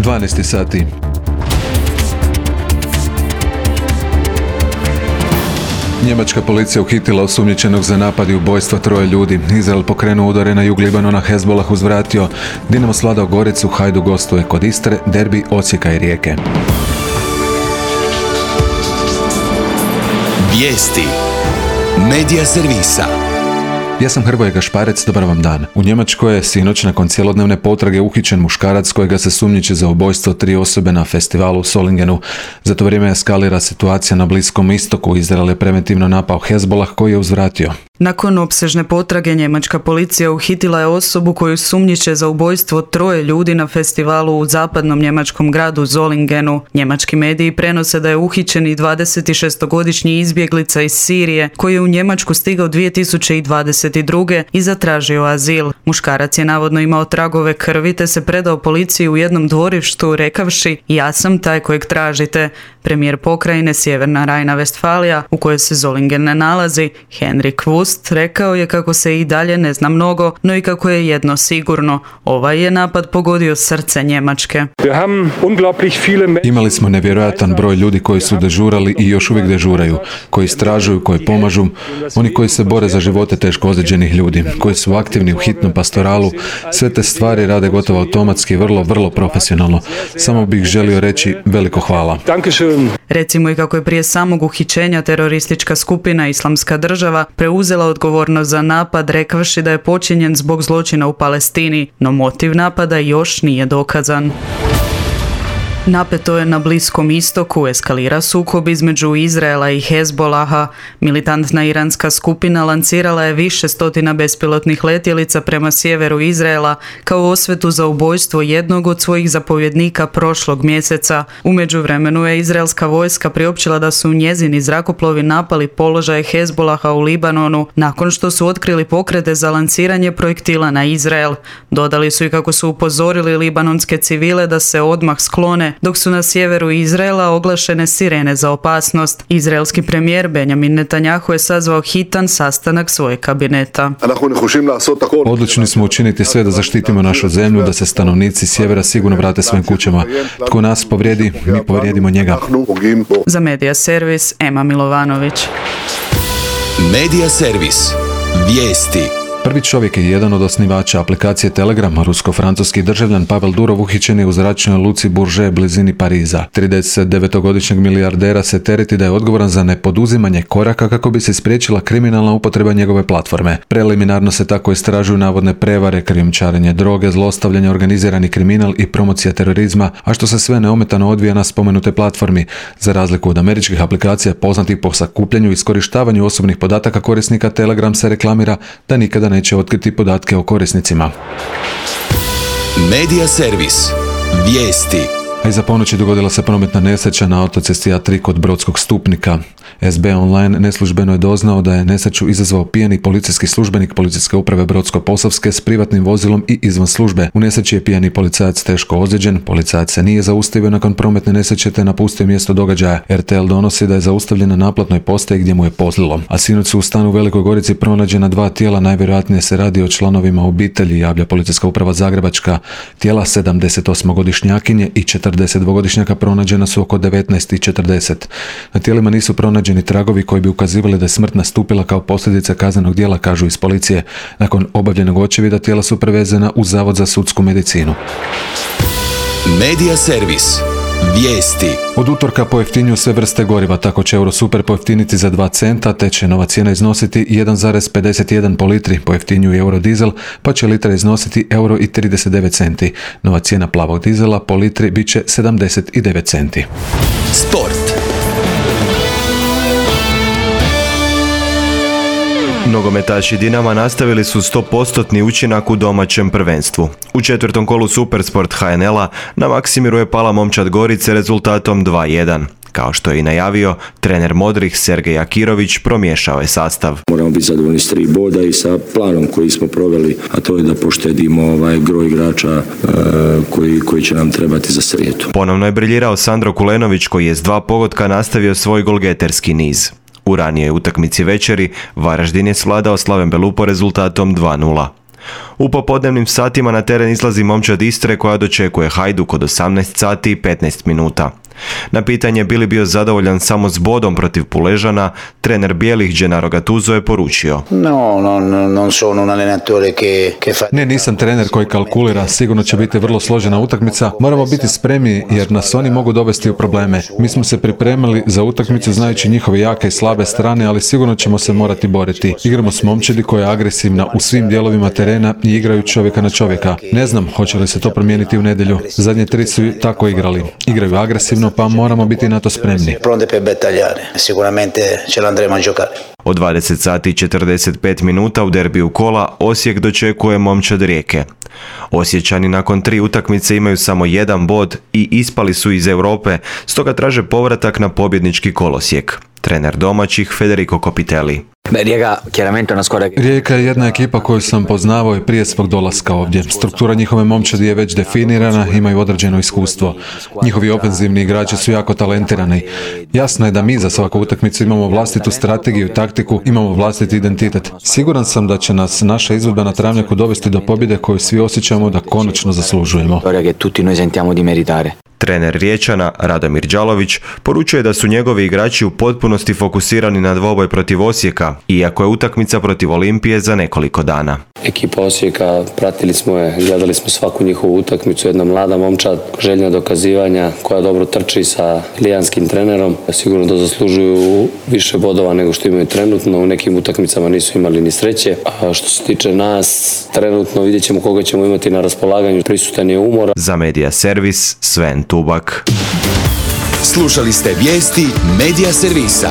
12 sati. Njemačka policija uhitila osumnjičenog za napad i ubojstva 3 ljudi. Izrael pokrenuo udare na jug Libanona, Hezbollah uzvratio. Dinamo svladao Goricu, Hajduk gostuje kod Istre, derbi Osijeka i Rijeke. Vijesti Medija servisa. Ja sam Hrvoje Gašparec, dobar vam dan. U Njemačkoj je sinoć nakon cjelodnevne potrage uhićen muškarac kojega se sumnjiči za ubojstvo 3 osobe na festivalu u Solingenu. Za to vrijeme eskalira situacija na Bliskom istoku. Izrael je preventivno napao Hezbollah koji je uzvratio. Nakon opsežne potrage njemačka policija uhitila je osobu koju sumnjiče za ubojstvo 3 ljudi na festivalu u zapadnom njemačkom gradu Solingenu. Njemački mediji prenose da je uhićeni 26-godišnji izbjeglica iz Sirije koji je u Njemačku stigao 2022. i zatražio azil. Muškarac je navodno imao tragove krvi te se predao policiji u jednom dvorištu rekavši: "Ja sam taj kojeg tražite." Premijer pokrajine Sjeverna Rajna-Vestfalija, u kojoj se Solingen ne nalazi, Henrik Wüst, rekao je kako se i dalje ne zna mnogo, no i kako je jedno sigurno: ovaj je napad pogodio srce Njemačke. Imali smo nevjerojatan broj ljudi koji su dežurali i još uvijek dežuraju, koji istražuju, koji pomažu, oni koji se bore za živote teško ozlijeđenih ljudi, koji su aktivni u hitnom pastoralu. Sve te stvari rade gotovo automatski, vrlo profesionalno. Samo bih želio reći veliko hvala. Recimo i kako je prije samog uhićenja teroristička skupina Islamska država preuzela odgovornost za napad rekavši da je počinjen zbog zločina u Palestini, no motiv napada još nije dokazan. Napeto je na Bliskom istoku, eskalira sukob između Izraela i Hezbollaha. Militantna iranska skupina lancirala je više stotina bespilotnih letjelica prema sjeveru Izraela kao osvetu za ubojstvo jednog od svojih zapovjednika prošlog mjeseca. U međuvremenu je izraelska vojska priopćila da su njezini zrakoplovi napali položaje Hezbollaha u Libanonu nakon što su otkrili pokrete za lanciranje projektila na Izrael. Dodali su i kako su upozorili libanonske civile da se odmah sklone, dok su na sjeveru Izraela oglašene sirene za opasnost. Izraelski premijer Benjamin Netanjahu je sazvao hitan sastanak svojeg kabineta. Odlučni smo učiniti sve da zaštitimo našu zemlju, da se stanovnici sjevera sigurno vrate svojim kućama. Tko nas povrijedi, mi povrijedimo njega. Za Medija servis, Ema Milovanović. Medija servis. Vijesti. Prvi čovjek je jedan od osnivača aplikacije Telegram, rusko-francuski državljan Pavel Durov, uhićen je u zračnoj luci Bourget blizini Pariza. 39-godišnjeg milijardera se tereti da je odgovoran za nepoduzimanje koraka kako bi se spriječila kriminalna upotreba njegove platforme. Preliminarno se tako istražuju navodne prevare, krijumčarenje droge, zlostavljanje, organizirani kriminal i promocija terorizma, a što se sve neometano odvija na spomenute platformi, za razliku od američkih aplikacija poznatih po sakupljanju i iskorištavanju osobnih podataka korisnika. Telegram se reklamira da nikada neće otkriti podatke o korisnicima. Medija servis. Vijesti. A iza ponoći dogodila se prometna nesreća na autocesti A3 kod Brodskog Stupnika. SB Online neslužbeno je doznao da je nesreću izazvao pijani policijski službenik Policijske uprave Brodsko-Posavske s privatnim vozilom i izvan službe. U nesreći je pijani policajac teško ozlijeđen. Policajac se nije zaustavio nakon prometne nesreće te napustio mjesto događaja. RTL donosi da je zaustavljen na naplatnoj postaji gdje mu je pozlilo. A sinoć su u stanu u Velikoj Gorici pronađena 2 tijela, najvjerojatnije se radi o članovima obitelji, javlja Policijska uprava Zagrebačka. Tijela 78-godišnjakinje i 42-godišnjaka pronađena su oko 19:40. Na tijelima nisu pronađeni tragovi koji bi ukazivali da je smrt nastupila kao posljedica kaznenog djela, kažu iz policije. Nakon obavljenog očevida tijela su prevezena u Zavod za sudsku medicinu. Medija servis. Vijesti. Od utorka pojeftinjuju sve vrste goriva, tako će Eurosuper pojeftiniti za 2 centa, te će nova cijena iznositi 1,51 po litri. Pojeftinjuju Eurodizel, pa će litra iznositi €1,39. Nova cijena plavog dizela po litri bit će 79 centi. Sport. Nogometaši Dinama nastavili su 100% učinak u domaćem prvenstvu. U 4. kolu Supersport HNL-a na Maksimiru je pala momčad Gorice rezultatom 2:1. Kao što je i najavio, trener Modrih Sergej Akirović promiješao je sastav. Moramo biti zadovoljni s 3 boda i sa planom koji smo proveli, a to je da poštedimo gro igrača koji će nam trebati za srijedu. Ponovno je briljirao Sandro Kulenović koji je s 2 pogotka nastavio svoj golgeterski niz. U ranijoj utakmici večeri Varaždin je svladao Slaven Belupo rezultatom 2:0. U popodnevnim satima na teren izlazi momčad Istre koja dočekuje Hajduk od 18 sati i 15 minuta. Na pitanje bi li bio zadovoljan samo s bodom protiv Puležana, trener bijelih Gennaro Gattuso je poručio: Ne, nisam trener koji kalkulira, sigurno će biti vrlo složena utakmica, moramo biti spremni jer nas oni mogu dovesti u probleme. Mi smo se pripremili za utakmicu znajući njihove jake i slabe strane, ali sigurno ćemo se morati boriti. Igramo s momčadi koja je agresivna u svim dijelovima terena i igraju čovjeka na čovjeka. Ne znam hoće li se to promijeniti u nedjelju. Zadnje 3 su tako igrali. Igraju agresivno, pa moramo biti na to spremni. Od 20 sati i 45 minuta u derbiju kola Osijek dočekuje momčad Rijeke. Osječani nakon 3 utakmice imaju samo 1 bod i ispali su iz Europe, stoga traže povratak na pobjednički kolosijek. Trener domaćih Federico Copitelli. Rijeka je jedna ekipa koju sam poznavao i prije svog dolaska ovdje. Struktura njihove momčadi je već definirana, imaju određeno iskustvo. Njihovi ofenzivni igrači su jako talentirani. Jasno je da mi za svaku utakmicu imamo vlastitu strategiju i taktiku, imamo vlastiti identitet. Siguran sam da će nas naša izvedba na travnjaku dovesti do pobjede koju svi osjećamo da konačno zaslužujemo. Trener Riječana, Radomir Đalović, poručuje da su njegovi igrači u potpunosti fokusirani na dvoboj protiv Osijeka, iako je utakmica protiv Olimpije za nekoliko dana. Ekipa Osijeka, pratili smo je, gledali smo svaku njihovu utakmicu, jedna mlada momčad, željna dokazivanja, koja dobro trči sa lijanskim trenerom. Sigurno da zaslužuju više bodova nego što imaju trenutno, u nekim utakmicama nisu imali ni sreće. A što se tiče nas, trenutno vidjet ćemo koga ćemo imati na raspolaganju, prisutan je umor. Za Medija Servis, Sven Tubak. Slušali ste vijesti Medija Servisa.